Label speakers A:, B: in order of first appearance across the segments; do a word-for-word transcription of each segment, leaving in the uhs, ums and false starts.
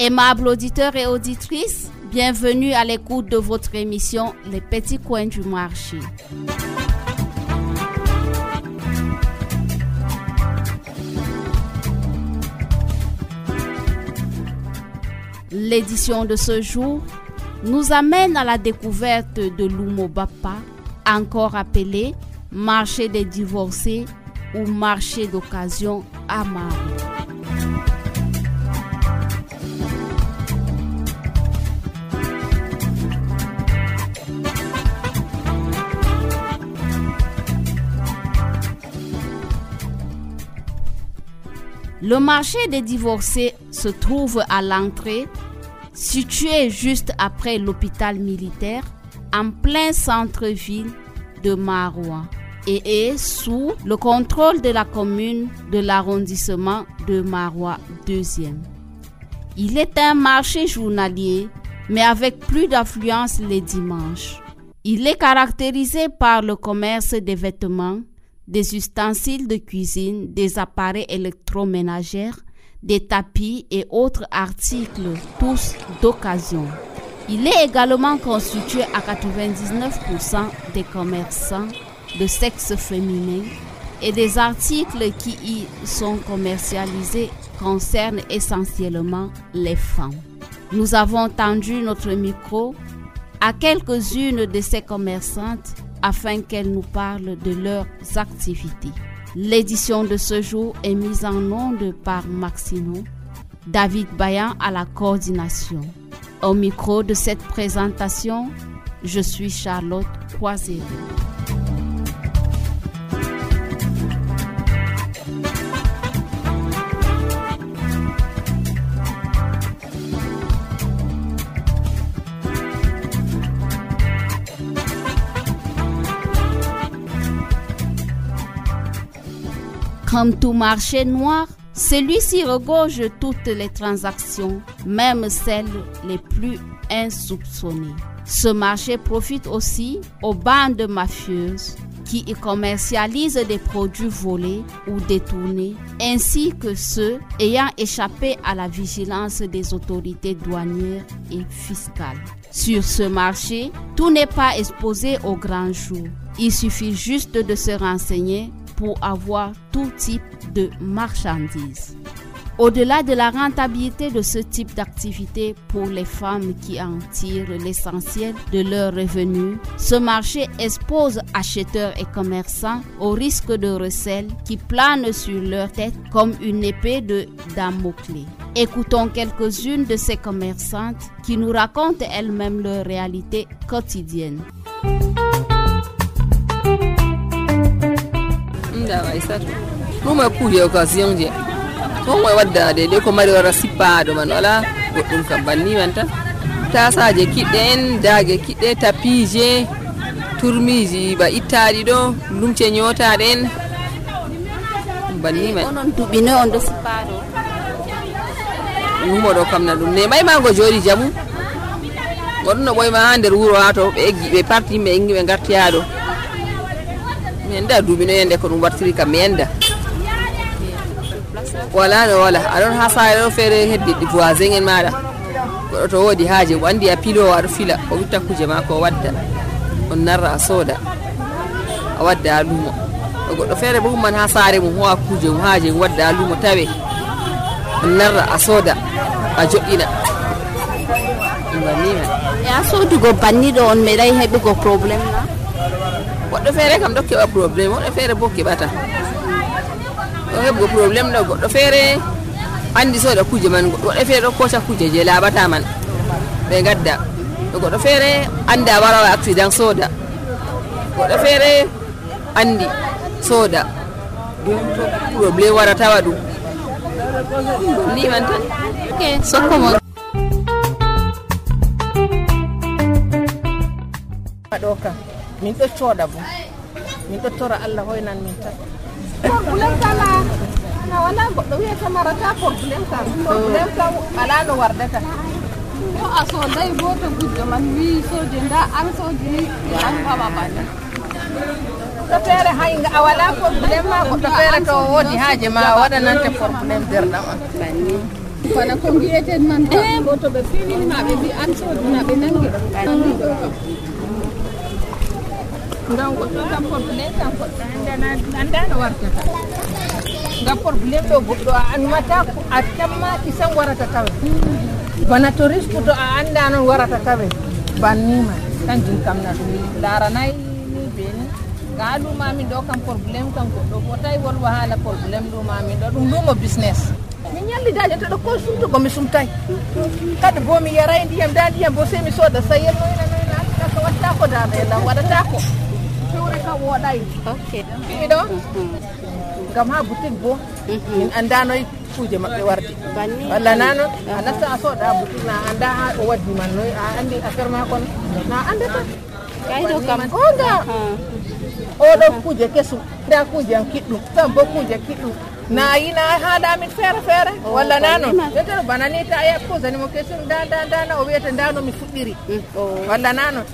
A: Aimables auditeurs et auditrices, bienvenue à l'écoute de votre émission Les Petits Coins du Marché. L'édition de ce jour nous amène à la découverte de l'Umobapa, encore appelé marché des divorcés ou marché d'occasion à Maroua. Le marché des divorcés se trouve à l'entrée, situé juste après l'hôpital militaire, en plein centre-ville de Maroua, et est sous le contrôle de la commune de l'arrondissement de Maroua deuxième. Il est un marché journalier, mais avec plus d'affluence les dimanches. Il est caractérisé par le commerce des vêtements, des ustensiles de cuisine, des appareils électroménagers, des tapis et autres articles, tous d'occasion. Il est également constitué à quatre-vingt-dix-neuf pour cent des commerçants de sexe féminin et des articles qui y sont commercialisés concernent essentiellement les femmes. Nous avons tendu notre micro à quelques-unes de ces commerçantes afin qu'elles nous parlent de leurs activités. L'édition de ce jour est mise en onde par Maxino, David Bayan à la coordination. Au micro de cette présentation, je suis Charlotte Croisero. Comme tout marché noir, celui-ci regorge toutes les transactions, même celles les plus insoupçonnées. Ce marché profite aussi aux bandes mafieuses qui y commercialisent des produits volés ou détournés, ainsi que ceux ayant échappé à la vigilance des autorités douanières et fiscales. Sur ce marché, tout n'est pas exposé au grand jour. Il suffit juste de se renseigner pour avoir tout type de marchandises. Au-delà de la rentabilité de ce type d'activité pour les femmes qui en tirent l'essentiel de leurs revenus, ce marché expose acheteurs et commerçants au risque de recel qui plane sur leur tête comme une épée de Damoclès. Écoutons quelques-unes de ces commerçantes qui nous racontent elles-mêmes leur réalité quotidienne.
B: Ɗum e kuuje occasion je on way waddade de ko mari wara sippaɗo man wala goɗɗum kam banni man tan tasaje kiɗɗe en daage kiɗɗe tapije turmiji ba ittaɗi ɗo lumce ñotaɗe en banni man
A: onon duɓi noy on ɗo sippaɗo
B: ɗum oɗo kam na ɗum ne may mago jooɗi jamu goɗɗum no ɓoyma ha nder wuuro ha to ɓe eggi ɓe parti yimɓe engi ɓe gartiyaɗo mi anda duuɓi no yende ko ɗum wartiri kam mi enda wala no wala aɗon ha saare ɗo feere heddi ɗi voisin en maɗa goɗɗo to woodi haaje o andi a pilowo aɗo fila o witta kuje ma ko wadda on narra a sooda a wadda ha luumo o goɗɗo feere bo humman ha saare mum howa kuje mum haaje mum wadda ha luumo tawe on narra a sooda a joƴƴina ɗum bannima
A: e a soodugo banni ɗo on meeɗay heɓugo probléme na
B: goɗɗo feere kam ɗo keɓa probléme woɗɗo feere bo keɓata ɗo heɓugo probléme ɗo goɗɗo feere andi sooda kuje man goɗɗo feere ɗo koca kuje je laaɓata man ɓe gadda ɗo goɗɗo feere anda warawa accident sooda goɗɗo feere andi sooda probléme wara tawa ɗum ni man tan
A: ok sokkomo
C: ɗo kam min ɗo cooɗa bo min ɗo tora Allah hoynan min tan probléme kala na wala goɗɗo wiyata marata probléme kam probléme kam ala no wardata
D: to a soodai goto gujjo man wi soje nda an soje ni an baba bana
C: to feere hay a wala probléme ma goɗɗo feere to woodi haaje ma waɗanante probléme derɗam an banni
D: bana ko mbiyeten man eh bo to ɓe finini ma ɓe mbi an sodina ɓe nangi
C: ngam goɗɗo kam probléme kam goɗɗo annda no wartata ngam probléme ɗo goɗɗo a anmata ko a tammaki tan warata tawe bana to risque to a annda noon warata tawe bannima kanjum kam na ɗum laranayi ni beni ga lumamin ɗo kam probléme kam goɗɗo fotayi wolwa haala probléme lumamin ɗo ɗum lumo business min ñallidaje to ɗo ko sumtugo mi sumtay kadi bo mi yaray ndiyam da ndiyam bo sey mi sooda sayel noyna noyna kaka wattako damelam waɗatako fewre kam woɗay ɗiɗo ngam ha boutique bo min andanoy kuje maɓɓe wardi walla na noon a natta a sooda boutique na anda ha o waddi man noy a andi affaire ma kon na andata kayɗo kam o nga oɗo kuje kesum nda kuje an kiɗɗum tan bo kuje kiɗɗum na yina haɗamin feere feere walla na noon ƴetteno bana ni ta aya posani mo question nda nda ndana o wiyata nda no mi fuɗɗiri walla na noon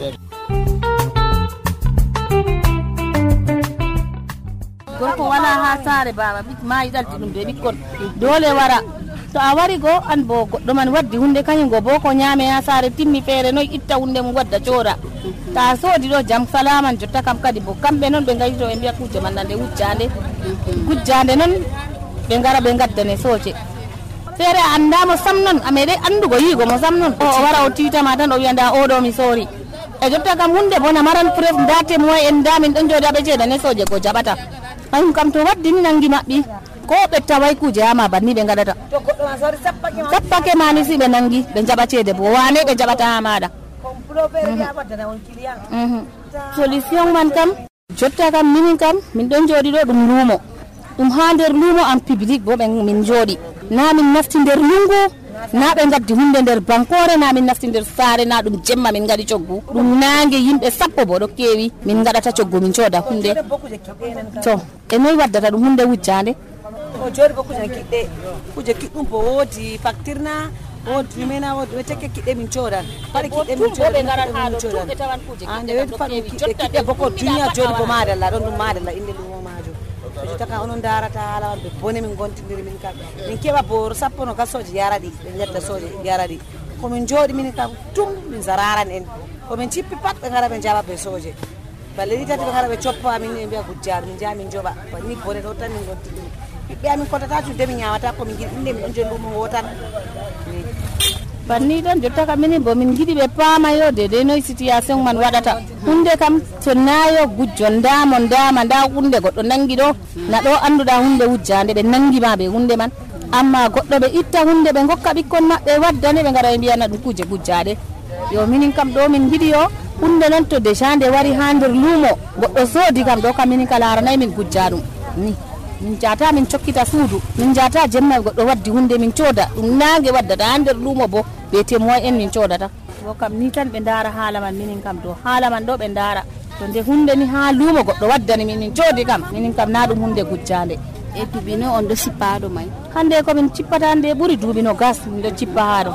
E: gorko wala ha saare baba ma yiɗalti ɗum be ɓikkon dole wara to a wari go an bo goɗɗo man waddi hunde kañum go bo ko ñaame ha saare timmi feere noy itta hunde mum wadda coora ta soodi ɗo jam salaman jotta kam kadi bo kamɓe noon ɓe gayito ɓe mbiya kuje man nande wujjande gujjande noon ɓe gara ɓe gaddane sooce feere a andamo sam noon a meeɗe andugo yiigo mo sam noon o wara o titama tan o wiya nda oɗo mi soori e jotta kam hunde bona maran preuve nda témoin en nda min ɗon jooɗi aɓe ceedane sooje go jaɓata hayum kam to waddi ni nangi maɓɓi ko ɓe taway kuje hama banni ɓe gaɗata sappake mani si ɓe nangi ɓe jaɓa ceede bo wane ɓe jaɓata ha maɗa solution man kam jotta kam minin kam min ɗon jooɗi ɗo ɗum luumo ɗum ha nder luumo en public bo ɓe min jooɗi na min nafti nder lungu na ɓe gaddi hunde nder bankore na min nafti nder saare na ɗum jemma min gaɗi coggu ɗum nangue yimɓe sappo bo ɗo kewi min gaɗata coggu min cooda hunde to e noy waddata ɗum hunde wujjande
F: o jooɗi bo kuje kiɗɗe kuje kiɗɗum bo woodi facture na woodi ɗumena woodi ɓe tekke kiɗɗe min coodan paɗe kiɗɗe min coodan ande weɗi faɗum kiɗɗe kiɗɗe bo ko duniya jooɗi bo madalla ɗon ɗum madalla inde lumo majum so taka onon darata haala wadɓe bone min gontidiri min kam min keɓa boro sappo no gasoje yaraɗi ɓe jedda soje yaraɗi komin jooɗi min kam tum min zararan en komin cippi pat ɓe gara ɓe jaɓa ɓe soje balle ɗi tati ɓe gara ɓe coppa min e mbiya gujjaɗo min jaa min joɓa ni bone ɗo tan min gontidiri ɓiɓɓe amin kontata cuude min ñawata komin giɗi ɗum nde min ɗon joni lumo wo tan
E: banni tan jotta kam minin bo min giɗi ɓe paamayo de de noy situation man waɗata hunde kam to nayo gujjo ndamo ndama nda hunde goɗɗo nangi ɗo na ɗo annduɗa hunde wujjande ɓe nangima ɓe hunde man amma goɗɗo ɓe itta hunde ɓe gokka ɓikkon maɓɓe waddane ɓe gara ɓe mbiyana ɗum kuje gujjade yo minin kam ɗo min giɗi yo hunde noon to déjà nde wari ha nder luumo goɗɗo soodi kam ɗo kam minin ka laranayi min gujja ɗum ni min jata min cokkita suudu min jata jemma goɗɗo waddi hunde min cooda ɗum nangue waddata ha nder luumo bo be témoin en min coodata bo kam ni tan ɓe daara haala man minin kam do haala man ɗo ɓe daara to nde hunde ni ha luumo goɗɗo waddani min min coodi kam minin kam na ɗum hunde gujjande
A: e duuɓi no on ɗo sippaɗo may
E: hande komin cippata nde ɓuuri duuɓi no gas min ɗo cippa haɗo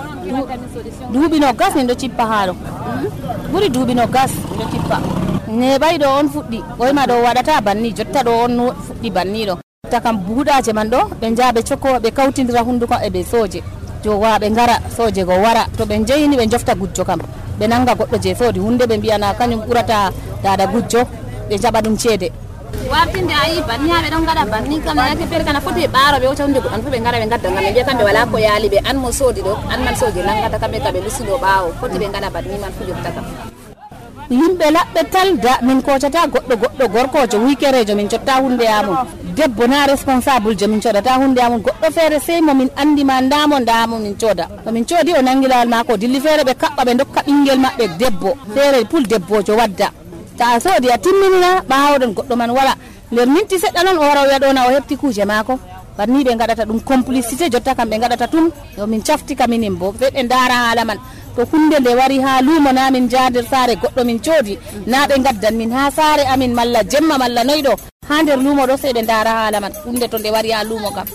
E: duuɓi no gas min ɗo cippa haɗo ɓuuri duuɓi no gas min ɗo cippa neɓay ɗo on fuɗɗi ɓoyma ɗo waɗata banni jotta ɗo on fuɗɗi banni ɗo jotta kam buuɗaje man ɗo ɓe jaa ɓe cokko ɓe kawtidira hunduko e ɓe sooje jowa ɓe gara soje go wara to ɓe jeyini ɓe jofta gujjo kam ɓe nanga goɗɗo je soodi hunde ɓe mbiyana kañum ɓurata dada gujjo ɓe jaɓa ɗum ceede
A: wartinde a yi banni ha ɓe ɗon gaɗa banni kam nake feere kana foti ɓe ɓaaro ɓe wota hunde goɗɗon fof ɓe gara ɓe gadda ngam ɓe mbiya kamɓe wala ko yaali ɓe an mo soodi ɗo an man soje nangata kamɓe ka ɓe lusiɗo ɓaawo foti ɓe gaɗa banni man fu jotta kam
E: yimɓe laɓɓe talda min kocata goɗɗo goɗɗo gorkojo wikerejo min cotta hunde yamum debbo na responsable jo min codata hunde yamum goɗɗo feere sey mo min andima ndamo ndamo min cooda to min coodi o nangi lawol mako dilli feere ɓe kaɓɓa ɓe dokka ɓinguel maɓɓe debbo feere pul debbojo wadda ta a soodi a timminina ɓawoɗon goɗɗo man wala nder minti seɗɗa noon o wara o wiya ɗona o heɓti kuje mako banni ɓe gaɗata ɗum complicité jotta kam ɓe gaɗata tum yo min caftika minin bo ɓe ɓe daara haala man to hunde nde wari ha luumo na min jader saare goɗɗo min coodi na ɓe gaddan min ha saare amin malla jemma malla noyɗo ha nder luumo ɗo sey ɓe daara haala man hunde to nde wari ha luumo kam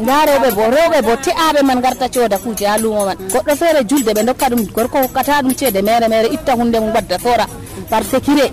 E: nda rewɓe bo rewɓe bo te'aɓe man garta cooda kuje ha luumo man goɗɗo feere julde ɓe dokka ɗum gorko hokkata ɗum ceede mere mere itta hunde mum wadda soora par sécuré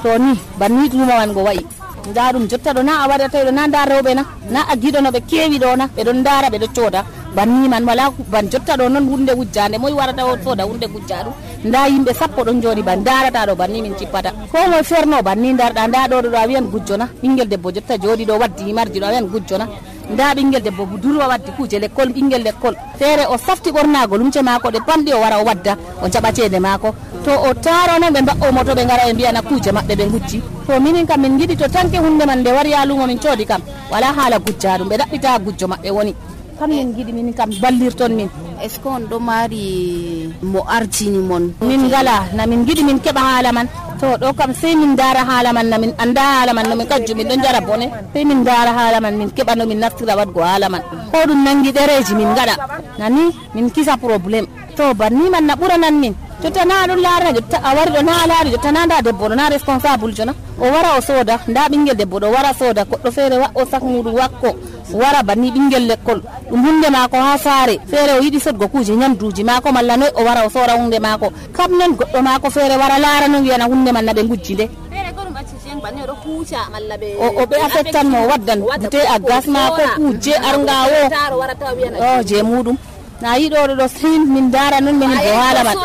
E: to ni banni luumo man go wayi nda ɗum jotta ɗo na a waɗata ɗo na nda rewɓe na na a giɗo no ɓe kewi ɗo na ɓe ɗon daara ɓe ɗo cooda banni man wala ban jotta ɗo noon hunde wujjande moy warata o soda hunde wujja ɗum nda yimɓe sappo ɗon jooɗi ban darata ɗo banni min cippata ko moy ferno banni darɗa nda ɗo ɗo a wiyan gujjona ɓinguel debbo jotta jooɗi ɗo waddi himarji ɗo a wiyan gujjona nda ɓinguel debbo budurwa waddi kuje l'école ɓinguel l'école feere o safti ɓornago lumce mako ɗe pamɗi o wara o wadda o jaɓa ceede mako to o taro noon ɓe mba'o moto ɓe gara ɓe mbiyana kuje maɓɓe ɓe gujji to minin kam min giɗi to tanke hunde man nde wari ha lumo min coodi kam wala haala gujja ɗum ɓe ɗaɓɓita gujjo maɓɓe woni kam min giɗi min kam ballirton min.
A: est ce que on ɗo mari mo artini mon
E: min ngala na min giɗi min keɓa haala man to ɗo kam sey min dara haala man na min anda haala man no min kajju min ɗon jara bone sey min dara haala man min keɓa no min naftira wadgo haala man ko ɗum nangi ɗereji min gaɗa nani min kisa probléme to banni man na ɓuranan min jotta na ɗum laara jotta a wari ɗo na laari jotta na nda debbo ɗo na responsable jona o wara o sooda nda ɓinguel debbo ɗo wara sooda goɗɗo feere wa o sak muɗum wakko wara banni ɓinguel l'école ɗum hunde mako ha saare feere o yiɗi sodgo kuje nyamduji mako malla noy o wara o soora hunde mako kam non goɗɗo mako feere wara laara no wiyana hunde man na ɓe gujji nde o ɓe affectanmo o waddan bute a gas mako kuje arngawo o je muɗum na yiɗo ɗo sin min dara non min bo hala man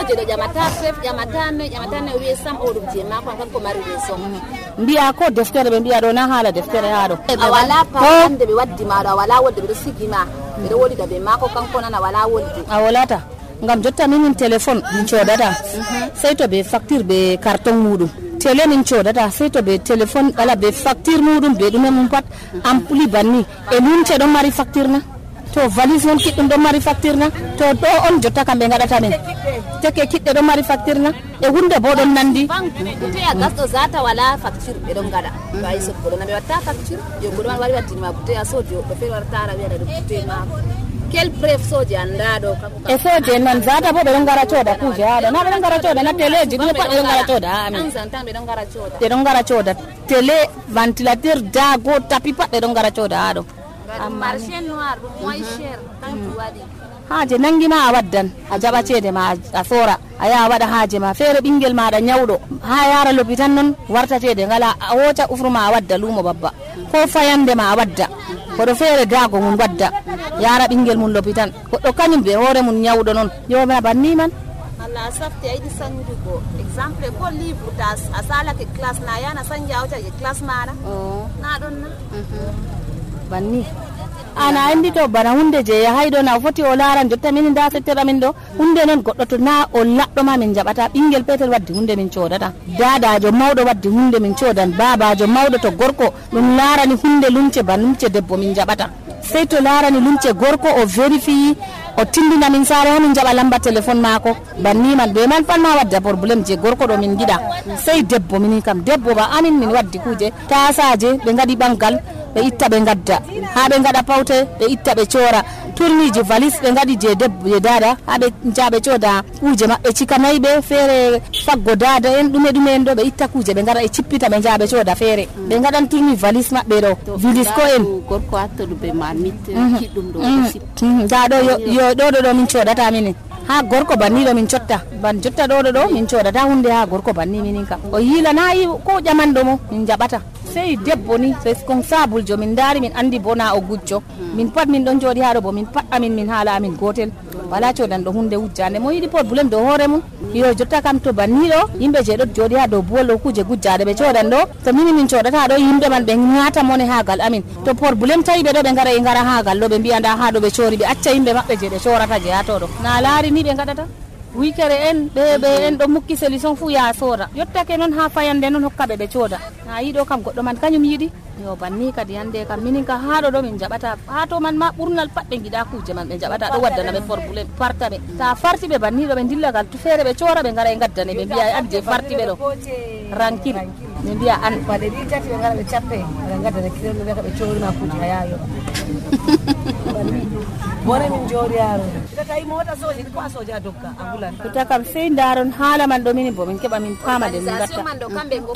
E: mbiya ko deftere ɓe mbiya ɗo na haala deftere ha ɗo
G: wala pamande ɓe waddi maɗo a wala wolde ɓeɗo sigima ɓeɗo wolida ɓe mako kanko nan a wala wolde
E: a wolata ngam jotta minin téléphone min codata sey to ɓe facture ɓe carton muɗum télé min codata sey to ɓe téléphone ɓala ɓe facture muɗum ɓe ɗume mum pat ampli banni e lumce ɗon mari facture na to valise mon kiɗɗum ɗon mari facture na to ɗo on jotta kamɓe gaɗata men teke kiɗɗe ɗon mari facture na e hunde bo ɗon nandi
G: bute a gasɗo zata wala facture ɓe ɗon gaɗa to ayi sotgoɗo na ɓe watta facture yo goɗo man wari waddinima bute a soodi yoɓɓe feere wartara wiyana ɗo bute mako quel preuve soji anda ɗo
E: e soji en noon zata bo ɓe ɗon gara cooda kuje haɗo na ɓe ɗon gara cooda na téléji ɗum pat ɓe ɗon gara cooda ha amin
G: ɓe ɗon gara cooda
E: ɓe ɗon gara cooda télé ventilateur dago tapi pat ɓe ɗon gara cooda ha ɗo
G: marché noir ɗum moy cher kanko waɗi
E: haaje nangima a waddan a jaɓa ceede ma a soora a yaha waɗa haaje ma feere ɓinguel maɗa ñawɗo ha yara l'hôpital noon warta ceede ngala a woca ufruma a wadda luumo babba ko fayande ma a wadda koɗo feere daago mum wadda yara ɓinguel mum l'hôpital goɗɗo kañum ɓe hoore mum ñawɗo noon yomina banni man
G: Allah a safti a yiɗi sanjugo exemple ko livre ta a salake classe na yana sanja a wocake classe maɗa na ɗon na
E: banni ana andi to bana hunde je yahayɗo na foti o laaran jotta min nda settera min ɗo hunde noon goɗɗo to na o laɗɗo ma min jaɓata ɓinguel petel waddi hunde min codata dadajo mawɗo waddi hunde min codan babajo mawɗo to gorko ɗum laarani hunde lumce ba lumce debbo min jaɓata sey to laarani lumce gorko o vérifie o tindina min saare ha min jaɓa lamba téléphone mako banni man ɓe man pat ma wadda probléme je gorko ɗo min giɗa sey debbo minin kam debbo ba amin min waddi kuje tasaje ɓe gaɗi ɓangal ɓe itta ɓe gadda ha ɓe gaɗa pawte ɓe itta ɓe coora tourniji valise ɓe gaɗi je debbo je dada ha ɓe jaɓe cooda kuje maɓɓe cikanayi ɓe feere faggo dada en ɗume ɗume en ɗo ɓe itta kuje ɓe gaɗa ɓe cippita ɓe jaɓe cooda feere ɓe gaɗan tourni valise maɓɓe ɗo vilis ko en
A: gorko hattoɗo ɓe marmite kiɗɗum ɗo
E: nda ɗo yo ɗo ɗo ɗo min coodata minin ha gorko banni ɗo min cotta ban jotta ɗo ɗo ɗo min coodata hunde ha gorko banni minin kam o yilanayi ko ƴamanɗo mo min jaɓata sey debbo ni responsable jo min daari min andi bona o gujjo min pat min ɗon jooɗi haɗo bo min pat amin min haala amin gotel wala codanɗo hunde wujjande mo yiɗi probléme dow hoore mum yo jotta kam to banni ɗo yimɓe je ɗo jooɗi ha dow buwol ɗo kuje gujjade ɓe codan ɗo to mini min codata ɗo yimɓe man ɓe ñaata mone hagal amin to probléme tawi ɓe ɗo ɓe gara e gara hagal ɗo ɓe mbiya nda ha ɗo ɓe coori ɓe acca yimɓe maɓɓe je ɓe corata je ha toɗo na laari ni ɓe gaɗata wikere en ɓe ɓe en ɗo mukki solution fu ya soora yottake noon ha fayande noon hokkaɓe ɓe cooda ha yiɗo kam goɗɗo man kañum yiɗi yo banni kadi hande kam minin ka haɗo ɗo min jaɓata ha to man ma ɓurnal pat ɓe giɗa kuje man ɓe jaɓata ɗo waddana ɓe probléme farta ɓe ta farti ɓe banni ɗo ɓe dillagal to feere ɓe coora ɓe gara e gaddane ɓe mbiya an je farti ɓe ɗo rankil ɓe mbiya an
F: baɗe ɗi tati ɓe gara ɓe cappe ɓe gaddane kiɗen ɓe ɓe coorima kuje ha yayo bone min jooɗi yaro tawi mota soji ko a soja dokka a hulan
E: to kam sey daron haala man ɗo minin bo min keɓa min paama de min gatta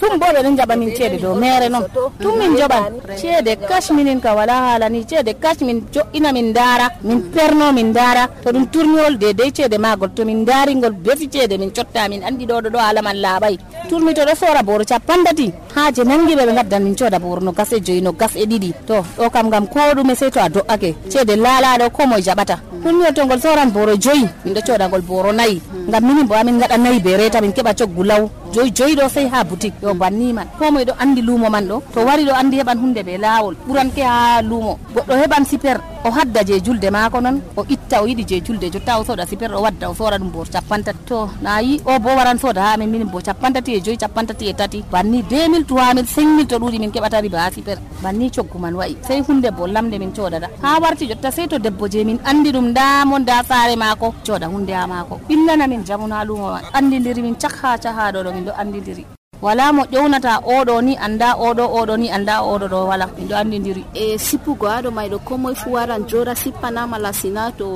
E: tum bo ɓe ɗon jaɓa min ceede dow mere noon tum min joɓan ceede cash minin ka wala haala ni ceede cash min joƴƴina min daara min perno min daara to ɗum tourniol de dey ceede magol to min daarigol befi ceede min cotta min andi ɗo ɗo ɗo haala man laaɓay tourni to ɗo soora boro capandati haaje nangiɓe ɓe gaddan min cooda boro no gas e joyi no gas e ɗiɗi to ɗo kam gam ko ɗume sey to a do'ake ceede hunde laalaɗo ko moye jaɓata ɗum mi to ngol soran boro joyi min ɗo coda ngol boro nayi ngam minin bo amin gaɗa nayi be reta min keɓa coggu law joyi joyi ɗo sey ha boutique yo banni man ko moye ɗo andi luumo man ɗo to wari ɗo andi heɓan hunde be laawol ɓuranke ha luumo goɗɗo heɓan super o hadda je julde maako non o itta o yiɗi je julde jotta o soda super o wadda o sora ɗum bo capantati to nayi o bo waran soda ha amin minin bo capantati e joyi capantati e tati banni deux mille trois mille cinq mille to ɗuuɗi min keɓata riba ha super banni coggu man wayi sey hunde bo lamde min codata ha warti jotta sey to debbo je min andi ɗum ndamo nda saare maako coda hunde ha maako ɓillana min jamu na luumo man andidiri min cak ha cahaɗo ɗo min ɗo andidiri wala mo ƴewnata oɗo ni anda oɗo oɗo ni anda oɗo ɗo wala min ɗo andidiri
A: e sippugo haɗo mayɗo ko moye fu waran joɗa sippanama la sina to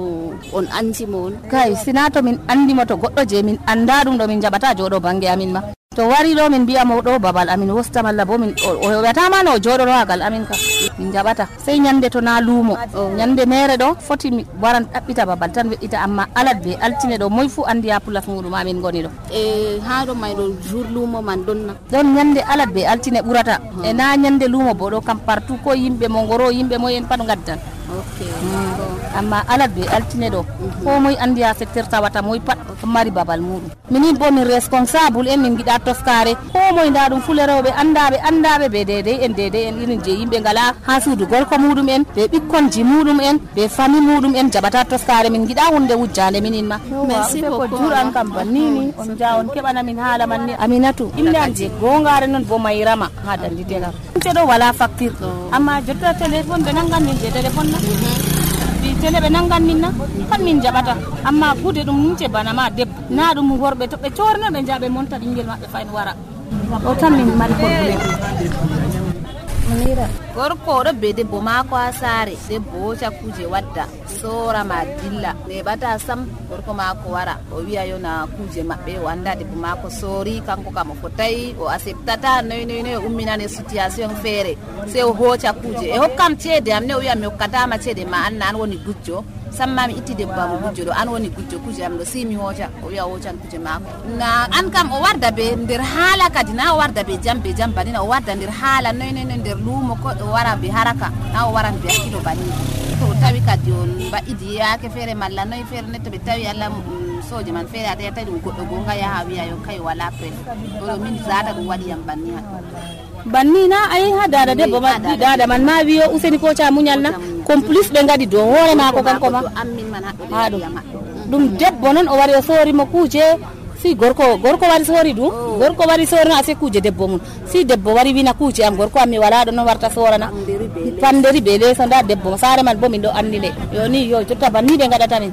A: on andimo on
E: kay sina to min andimo to goɗɗo je min anda ɗum ɗo min jaɓata joɗo bange amin ma to wari ɗo min mbiyamo ɗo babal amin wosta malla bo min o heɓatama no joɗoro hagal amin kam min jaɓata sey ñande to na luumo ñande mere ɗo foti mi waran ɗaɓɓita babal tan weɗɗita amma alat be altine ɗo moye fu andi ha pulas muɗum amin goni ɗo
A: e haɗo mayɗo jour luumo man ɗonna
E: ɗon ñande alat be altine ɓurata e na ñande luumo bo ɗo kam partout ko yimɓe mo ngoro yimɓe moyen pat gaddan
A: okay.
E: mm. amma alat be altine ɗo mm-hmm. ko moye andi ha secteur tawata moye pat mari babal muɗum minin bo min responsable en min giɗa toskare ko moye nda ɗum fule rewɓe andaɓe andaɓe be dedey en dedey en irin je yimɓe ngala ha suudu gorko muɗum en be ɓikkonji muɗum en be famille muɗum en jaɓata toskare min giɗa hunde wujjande minin ma merci beaucoup ko juuran kam bannini on ja on keɓana min haala manni Aminatu inde an je gongare noon bo Mayrama ha dandite kam ɗo wala facture amma jotta téléphone ɓe nangan min je téléphone na bi télé ɓe nangan min na pat min jaɓata amma kuude ɗum nunce bana ma debbo na ɗum worɓe to ɓe corno ɓe jaa ɓe monta ɓinguel maɓɓe fayin wara o tan min mari probléme
G: Munira gorko oɗo be debbo maako ha saare debbo hoca kuje wadda sora ma dilla neɓata sam gorko maako wara o wiya yo na kuje maɓɓe o anda debbo maako sori kanko kam o fotayi o acceptata noy noy noy o umminane situation feere se o hoca kuje e hokkam ceede am ne o wiya mi hokkatama ceede ma anna an woni gujjo samma mi itti debbo am gujjo ɗo an woni gujjo kuje am ɗo si mi hoca o wiya o hocan kuje maako na an kam o warda be nder haala kadi na o warda be jam be jam banina o warda nder haala noy noy noy nder luumo ko o wara be haraka na o waran be hakkilo banni to tawi kadi on mbaɗidi yaake feere malla noy feere ne to ɓe tawi allah soje man feere ata tawi ɗum goɗɗo gonga yaha wiya yo kay wala pref ɗo min zata ɗum waɗiyam banni ha
E: banni na ayi ha dada debbo ma dada man ma wiyo useni ko ca muñal na complice ɓe ngadi dow hoore mako kanko ma ha ɗum ɗum debbo noon o wari o sorimo kuuje si gorko gorko wari sori ɗum gorko wari sori no ase kuje debbo mum si debbo wari wina kuje am gorko am mi wala ɗo no warta sorana panderi be leso nda debbo saare man bo min ɗo andi nde yo ni yo jotta banni ɓe gaɗata min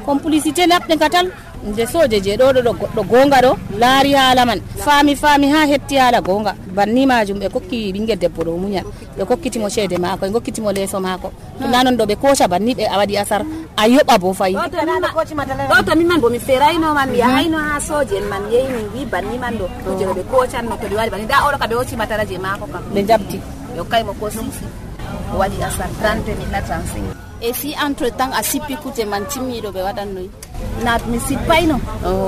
E: complicité laɓɗe katal nde soje je ɗo ɗo ɗo goɗɗo gonga ɗo laari haala man faami faami ha hetti haala gonga banni majum ɓe kokki ɓinguel debbo ɗo muñal ɓe kokkitimo ceede mako ɓe gokkitimo leeso mako tunda noon ɗo ɓe koca banni ɓe a waɗi asar a yoɓa bo fayi
G: ɗo to min man bo mi feraynoman mi yahayno ha soje en man yehi min wi banni man ɗo kuje ɗo ɓe kocanno to ɓe waɗi banni da oɗo ka ɓe hocci matara je mako kam
E: ɓe jabti
G: ɓe hokkaymo ko sisi o waɗi asar trente mille na trente-cinq
A: et si entre temps a sippi kuje man timmiɗo ɓe waɗannoy
G: na mi sippayno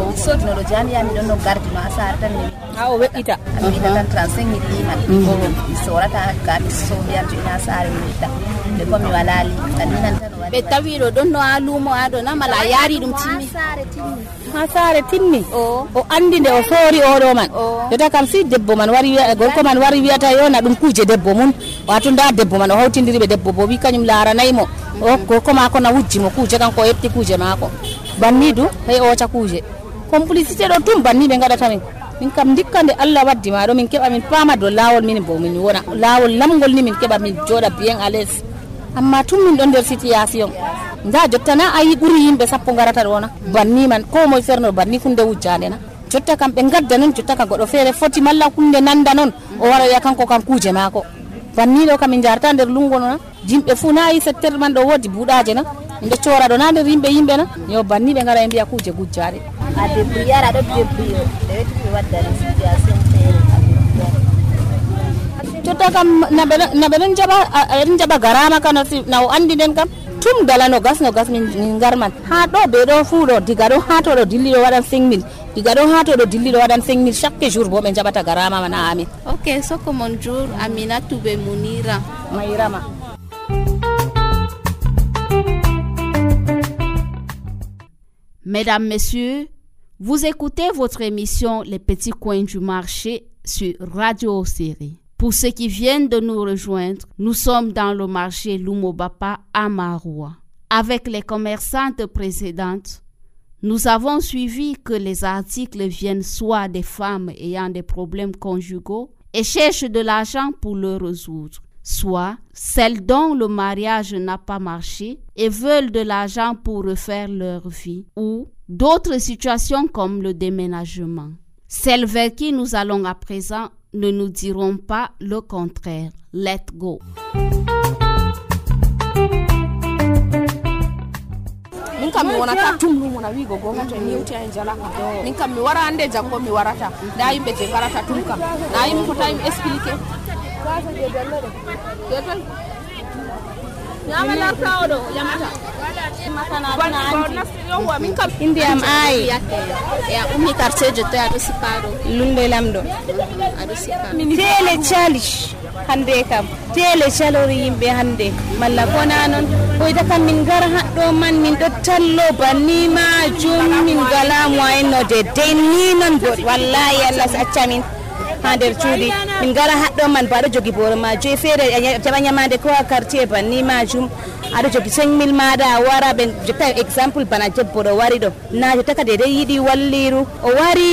G: mi sodino ɗo jamiya miɗon no gardino ha saare tan mi
E: ha o weƴƴita
G: mi wiɗa tan trente-cinq mille liman mi sorata ga mi sohiyarto ina saare mi wiɗɗa ɓe ko mi wala li tanninan tan
A: ɓe tawiɗo ɗon no ha luumo ha ɗo na mala a yaari ɗum timmi
E: ha saare timmi o andi nde o soori oɗo man jota kam si debbo man wari wiya gorko man wari wiyata yo na ɗum kuje debbo mum wato nda debbo man o hawtidiri ɓe debbo bo wi kañum laaranaymo o gorko mako na wujjimo kuje kanko o heɓti kuje mako banni du hey oca kuje complicité ɗo tum banni ɓe gaɗata min min kam dikka nde Allah waddi ma ɗo min keɓa min paama do lawol min bo min wona lawol lamgol ni min keɓa min joɗa bien à l'aise amma tum min ɗo nder situation nda jotta na ayi ɓuuri yimɓe sappo garata ɗona banni man ko moye ferno banni hunde wujjande na jotta kam ɓe gadda noon jotta ka goɗɗo feere foti malla hunde nanda noon o wara wiya kanko kam kuje mako banni ɗo kam min jarata nder lungo no na yimɓe fuu na yi secteur man ɗo woodi buuɗaje na nde cora ɗo na nder yimɓe yimɓe na yo banni ɓe gara e mbiya kuje gujjaɗe
G: a débrouillard aɗo débrouille ɓe wetti ɓe waddani situation feere
E: jotta kam naɓe ɗon jaɓa aɗon jaɓa garama ka na o andi nden kam tum dala no gas no gas min garman ha ɗo ɓe ɗo fuu ɗo diga ɗo ha to ɗo dilli ɗo waɗan cinq mille diga ɗo ha to ɗo dilli ɗo waɗan cinq mille chaque jour bo ɓe jaɓata garama mana amin
A: ok soko mon jour Aminatu be Munira
E: Mayrama
A: Mesdames, Messieurs, vous écoutez votre émission Les Petits Coins du Marché sur Radio Série. Pour ceux qui viennent de nous rejoindre, nous sommes dans le marché Lumobapa à Maroua. Avec les commerçantes précédentes, nous avons suivi que les articles viennent soit des femmes ayant des problèmes conjugaux et cherchent de l'argent pour le résoudre, soit celles dont le mariage n'a pas marché et veulent de l'argent pour refaire leur vie, ou d'autres situations comme le déménagement. Celles vers qui nous allons à présent ne nous diront pas le contraire. Let's go.
C: Min kam mi wonata tumlu mona wi go gonga to ni uti en jala min kam mi wara ande jango mi warata da yimbe je garata tum kam na yimbe ko tay mi expliquer yama la tawdo yamata
E: indi am ay
A: Ya ummi quartier je ado siparo.
E: lunde lamdo
A: Ado siparo.
E: tele chalish hande kam tele chalori yimbe hande malla kona non hoyta kam min gara haddo man min do tallo banni ma jum min gala mo ayno de denni non god wallahi Allah acca min hander cuudi min gara haddo man baado jogi boro ma joy fere jaba nyamande ko quartier banni ma jum ado jogi cinq mille mada wara ben jota example bana jebbo do wari do na jota ka de yidi walliru o wari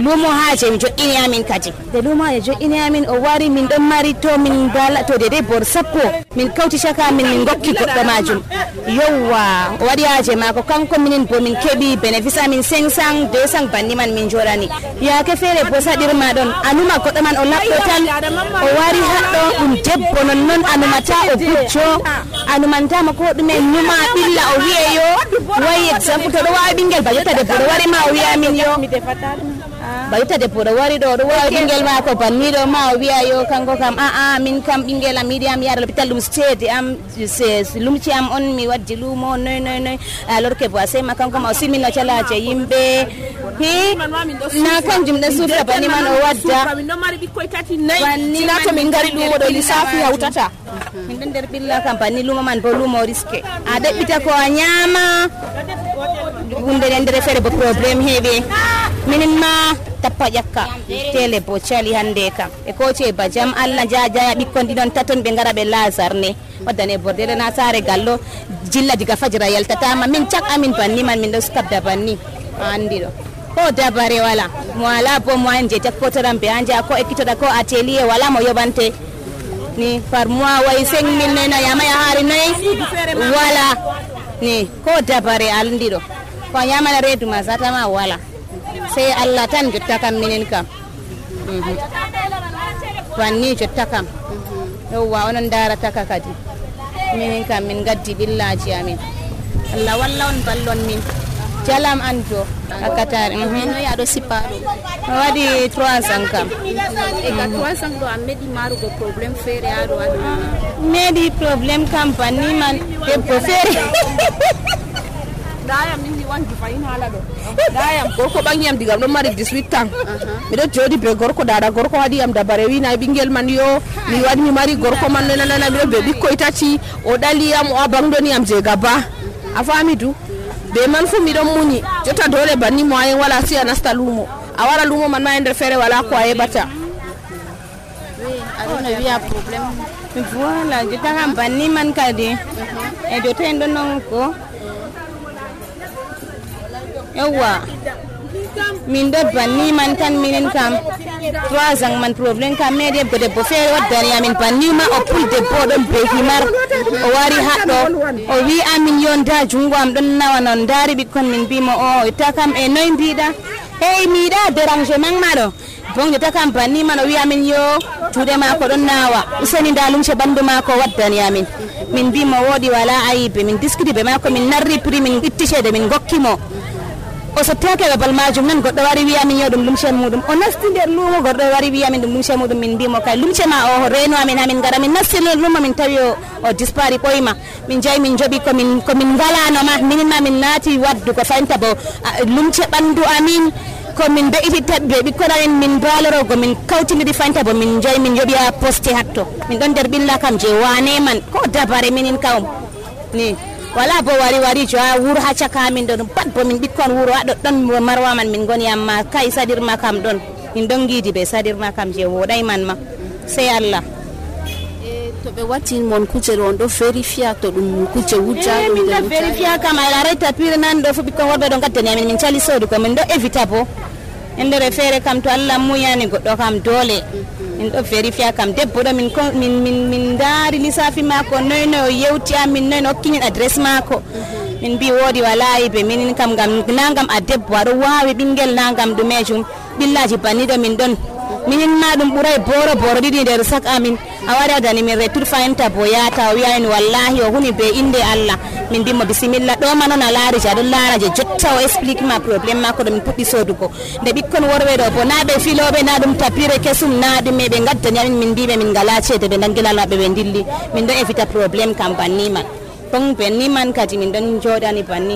E: lumo haje mi joɗɗini amin kadi de lumo haje joɗɗini amin o wari min ɗon mari to min bala to de de bor sappo min kawti chaka min min gokki goɗɗo majum yowwa o waɗi haje mako kanko minin bo min keɓi bénéfice amin cinq cent deux cent banni man min joɗani yake feere bo saɗirma ɗon anuma goɗɗo man o laɓɗo tan o wari haɗɗo ɗum debbo non noon anumata o bucco anumantama ko ɗume numa ɓilla o wiyeyo wayi exemple to ɗo wawi ɓinguel ba jotta debbo ɗo wari ma o wiya min yo bayta debbo ɗo wari ɗo ɗo wawi ɓinguel mako banniɗo ma o wiya yo kanko kam aa min kam ɓinguel am yiɗi am yaada l'hôpital ɗum steedi am lumci am on mi waddi lumo noy noy noy alors que bo asema kanko ma o silmino calaje yimɓe hi na kanjum ɗo sufra banni man o wadda
C: min ɗon mari ɓikkoy tati nayi sina to min gari lumo ɗo lissafi hawtata
E: min ɗon nder ɓilla kam banni lumo man bo lumo riske a ɗeɓɓita ko a ñaama hunde nde ndere feere bo probléme heeɓe minin ma tappa ƴakka tele bo cali hande kam e koce ba jam Allah jajaya ɓikkon ɗiɗon taton ɓe gara ɓe lasarne waddane bordele na sare gallo jilla diga fajira yaltatama min cak amin banni man min ɗo skabda banni andi ɗo ko dabare wala mo ala bo mo en je jakkotoran ɓe anja ko ekkitoɗa ko atelier wala mo yoɓante ni par mois way cinq mille noy noy yamaya haari noy wala ni ko dabare andi ɗo ko yamana reedu ma satama wala sai Allah tan jotta kam minin kam wanni jotta kam yowwa onon darata ka kadi minin kam min gaddi billaji amin Allah walla on ballon min jalam anto akatare
A: No ya do siparo.
E: wadi trois cents kam
A: E ka trois cents do amedi marugo problem fere ado ado.
E: medi problem kam banni man debbo fere
C: dayam min mi wangi fayin hala ɗo dayam gorko ɓangi am digam ɗon mari dix-huit ans miɗo jooɗi be gorko dada gorko waɗi am dabare wina ɓinguel man yo mi waɗi mi mari gorko man nanana miɗo be ɓikkoy tati o ɗali am o abangdoni am je gaba a fami du be man fu miɗon muñi jotta dole banni moyen wala si a nasta lumo a wara lumo man ma e nder feere wala ko a yeɓata
A: Adona wiya problem.
E: voilà jotta kam banni man kadi e jotta en ɗon non ko yawwa min ɗo banni man tan minin kam trois ans man probléme kam meɗi hebgo debbo feere waddani amin banni ma o pul debbo ɗon be himar o wari haɗɗo o wi amin yo nda jungo am ɗon nawa non daari ɓikkon min mbimo o itta kam e noy mbiɗa hey miɗa dérangement maɗo bon jotta kam banni man o wi amin yo juuɗe mako ɗon nawa useni nda lumce ɓandu mako waddani amin min mbimo woɗi wala ayibe min discuti be mako min narri prix min itti ceede min gokkimo o sottake babal majum nan goɗɗo wari wiyamin yo ɗum lumce muɗum o nasti nder lumo goɗɗo wari wiyamin ɗum lumce muɗum min mbimo kay lumce ma o reno amin hamin gara min nasti lumo min tawi o dispari ɓoyma min jayi min jooɓi komin komin ngalanoma minin ma min naati waddugo faynta bo lumce ɓandu amin komin be'ititta ɓe ɓikkon amin min balorogo min kawtidiri faynta bo min jayi min yoɓi ha poste hatto min ɗon nder ɓilla kam je wane man ko dabare minin kawm ni wala bo wari wari jo ha wuro ha caka min don pat bo min bikkon wuro ha don marwa man min goni amma kai sadirma kam don min don gidi be sadirma kam je wodai man ma sai Allah
A: e to be wati mon kuje on do verifia to dum kuje wuja
E: min do verifia kam ala reta pire nan do fu bikkon worbe don gaddani min min cali sodu ko min do evita bo endere fere kam to Allah muyani goddo kam dole min do verifia kam debbo do min min min min dari lisafi mako noy no yewti amin noy no kinin address mako min bi wodi walai be min kam gam nangam a debbo ado wawi bingel nangam do mejum billaji banido min don min na dum buray boro boro didi der sak amin awara dani min retur fayenta boyata wi'ayin wallahi o huni be inde Allah min bimmo bismillah do manon alaari ja don laara je jotta o explique ma problem mako do min puddi sodugo de bikkon worbe do bo na be filobe na dum tapire kesum na dum me be gaddani amin min bibe min gala cede be dangilala be be dilli min do evita problem kam banni man ton benni man kadi min don jodani banni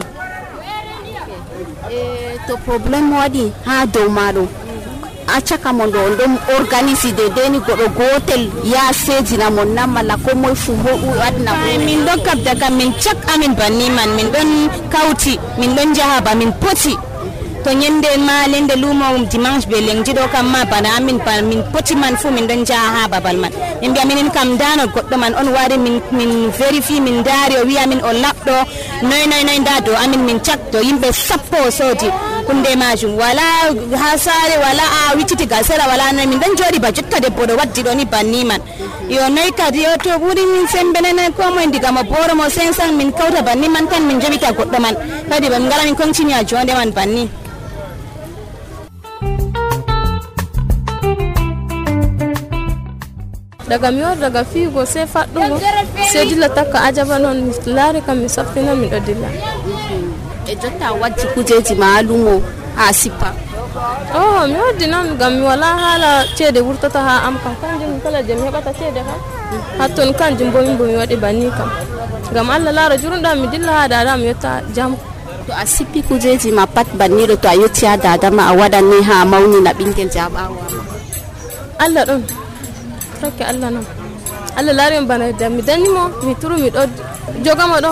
A: e to problem wadi ha do mado acaka mon do ndom organise de deni godo gotel ya sejina mon namala ko moy fu mo wadna
E: min don kabda kam min chak amin banni man min don kauti min don jahaba min poti to nyende ma lende lumo dimanche be lengji do kam ma bana amin pan min poti man fu min don jaha babal man min biya min kam dano goddo man on wari min min verify min dari o wi amin o labdo noy noy noy ndado amin min chak do yimbe sappo sodi kunde majum wala hasare wala a wiciti gasera wala na min dan jodi ba jotta debbo do waddi do ni banni man yo noy kadi yo to buri min sembenena ko mo ndiga mo boro mo sensan min kawta banni man tan min jabita goddo man kadi bam ngala min continue a jonde man banni
H: daga mi wor daga figo sai faddugo sai dilla takka ajaba non lare kam mi saffina mi do dilla
A: e jotta waddi kujeji maalumo ha sipa
H: oh mi waddi non gam mi wala hala cede wurtata ha am kam kanjum kala je mi hebata cede ha hatton kanjum bo min bo mi wadi banni kam gam Allah lara jurunda mi dilla ha dada mi yotta jam
A: to a sippi kujeji ma pat banni do to a yotti ha dada ma a wadanni ha mawni na bingel jabawa
H: Allah don take Allah non Allah lari bana da mi danimo mi turu mi do jogamo do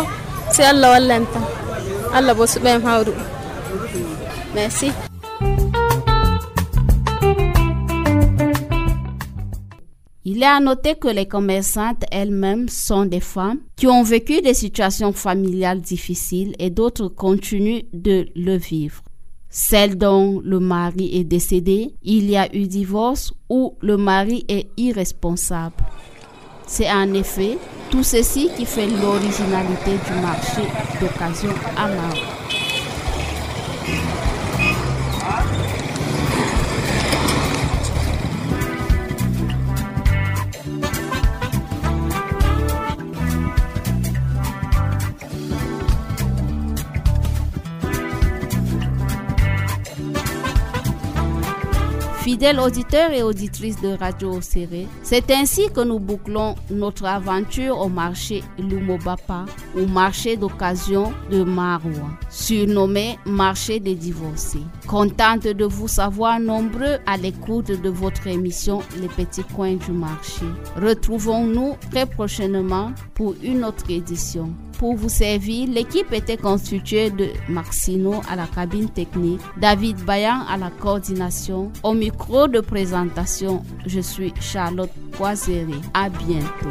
H: sai Allah wallanta Allah bo su ben hawru
A: merci. Il est à noter que les commerçantes elles-mêmes sont des femmes qui ont vécu des situations familiales difficiles et d'autres continuent de le vivre. Celle dont le mari est décédé, il y a eu divorce ou le mari est irresponsable. C'est en effet tout ceci qui fait l'originalité du marché d'occasion à Maro. Fidèles auditeurs et auditrices de Radio Oséré, c'est ainsi que nous bouclons notre aventure au marché Lumobapa, ou marché d'occasion de Maroua, surnommé marché des divorcés. Contente de vous savoir nombreux à l'écoute de votre émission Les Petits Coins du Marché. Retrouvons-nous très prochainement pour une autre édition. Pour vous servir, l'équipe était constituée de Maxino à la cabine technique, David Bayan à la coordination. Au micro de présentation, je suis Charlotte Poiséré. À bientôt.